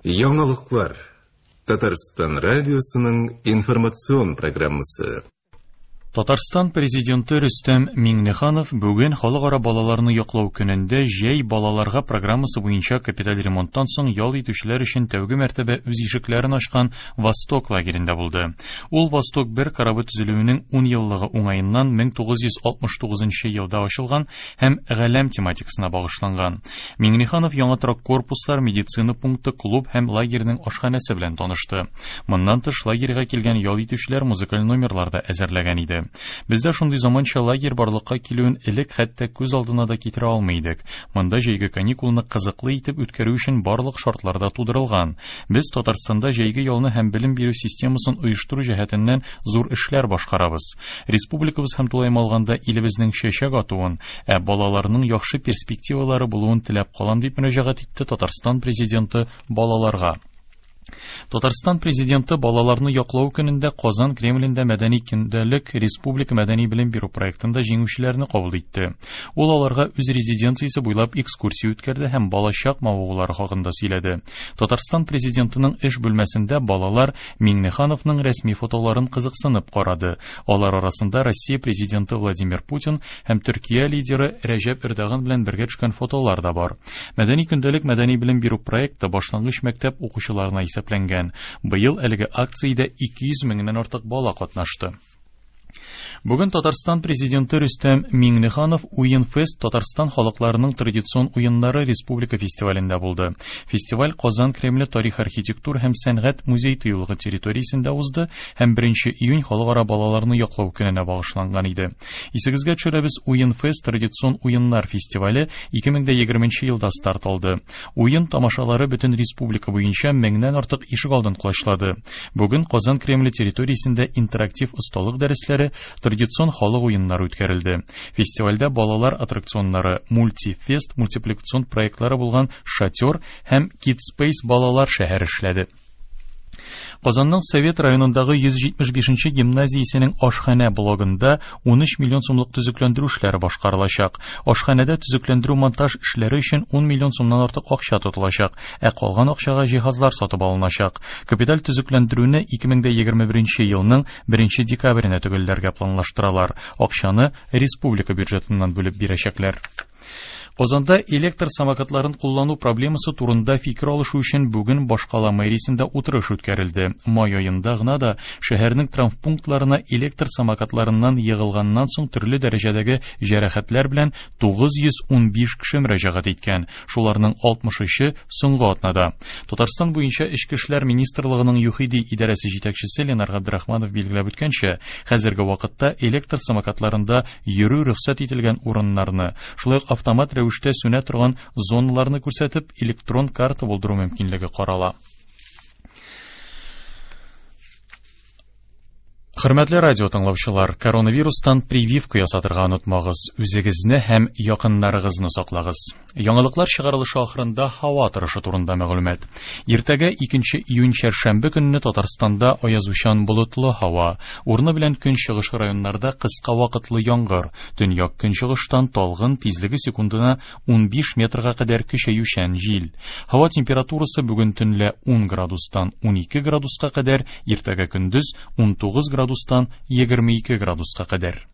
Яңалыклар. Татарстан радиосының информацион программасы. Татарстан Президенты Рөстәм Миңнеханов бүген Халыкара балаларны яклау көнендә Җәй балаларга программасы буенча капиталь ремонттан соң ял итүчеләр өчен тәүге мәртәбә үз ишекләрен ачкан Восток лагерендә булды. Ул Восток 1 корабы төзелүенең 10 еллыгы уңаеннан 1969 елда ачылган һәм галәм тематикасына багышланган. Миңнеханов яңа торак корпуслар, медицина пункты, клуб һәм лагерьның ашханәсе белән танышты. Моннан тыш, лагерьга килгән ял итүчеләр музыкаль номерлар да әзерләгән иде. Бездә шундый заманча лагерь барлыкка килүен элек хәтта күз алдына да китерә алмый идек. Монда җәйге каникулны кызыклы итеп үткәрү өчен барлык шартлар да тудырылган. Без Татарстанда җәйге ялны һәм белем бирү системасын оештыру җәһәтеннән зур эшләр башкарабыз. Республикабыз һәм тулаем алганда илебезнең чәчәк атуын, ә балаларның яхшы перспективалары булуын теләп калам, дип мөрәҗәгать итте Татарстан Президенты балаларга. Татарстан Президенты балаларны яклау көнендә Казан Кремлендә мәдәни көндәлек республика мәдәни белем бирү проектында җиңүчеләрне кабул итте. Ул аларга үз резиденциясе буйлап экскурсия үткәрде һәм балачак мавыгулары хакында сөйләде. Татарстан Президентының эш бүлмәсендә балалар Миңнехановның рәсми фотоларын кызыксынып карады. Алар арасында Россия Президенты Владимир Путин һәм Төркия лидеры Рәҗәп Эрдоган белән бергә төшкән фотолар да бар. Мәдәни көндәлек мәдәни белем бирү проекты башлангыч мәктәп укучыларына исәпләнгән. Быел әлеге акциядә 200 меңнән артык бала катнашты. Бүген Татарстан Президенты Рөстәм Миңнеханов Уен-фест Татарстан халыкларының традицион уеннары республика фестивалендә булды. Фестиваль Казан Кремле тарих-архитектура һәм сәнгать музей-тыюлыгы территориясендә узды һәм 1 июнь халыкара балаларны яклау көненә багышланган иде. Исегезгә төшерәбез, Уен-фест традицион уеннар фестивале 2020 елда старт алды. Уен тамашалары бөтен республика буенча меңнән артык ишегалдын колачлады. Бүген Казан Кремле территориясендә интерактив осталык дәресләре, традицион халык уеннары үткәрелде. Фестивальдә балалар аттракционнары, мультифест мультипликацион проектлары булган Шатер һәм Kidspace балалар шәһәре эшләде. Казанның Совет районындагы 175 нче гимназиясенең ашханә блогында 13 миллион сумлык төзекләндерү эшләре башкарылачак. Ашханәдә төзекләндерү-монтаж эшләре өчен 10 миллион сумнан артык акча тотылачак, ә калган акчага җиһазлар сатып алыначак. Капиталь төзекләндерүне 2021 елның 1 декабренә төгәлләргә планлаштыралар. Акчаны республика бюджетыннан бүлеп бирәчәкләр. Казанда электр самокатларын куллану проблемасы турында фикер алышу өчен бүген башкала мэриясендә утырыш үткәрелде. Май аенда гына да шәһәрнең травмпунктларына электр самокатларыннан егылганнан соң төрле дәрәҗәдәге җәрәхәтләр белән 915 кеше мөрәҗәгать иткән. Шуларның 63-е соңгы атнада. Татарстан буенча Эчке эшләр министрлыгының ЮХИДИ идарәсе җитәкчесе Ленар Габдрахманов билгеләп үткәнчә, хәзерге вакытта электр самокатларында йөрү рөхсәт ителгән урыннарны, шулай ук автомат рәвештә сүнә торган зоналарны күрсәтеп, электрон карта булдыру мөмкинлеге карала. Хөрмәтле радио тыңлаучылар, коронавирустан прививка ясатырга онытмагыз, үзегезне һәм якыннарыгызны саклагыз. Яңалыклар чыгарылышы ахырында һава торышы турында мәгълүмат. Иртәгә 2 июнь чәршәмбе көнне Татарстанда аязучан болытлы һава, урыны белән көнчыгыш районнарда кыска вакытлы яңгыр, төньяк көнчыгыштан талгын тизлеге секундына 15 метрга кадәр көчәючән җил. Һава температурасы бүген төнлә 10 градустан 12 градуска кадәр, иртәгә көндез 19 градустан 22 градуска кадәр.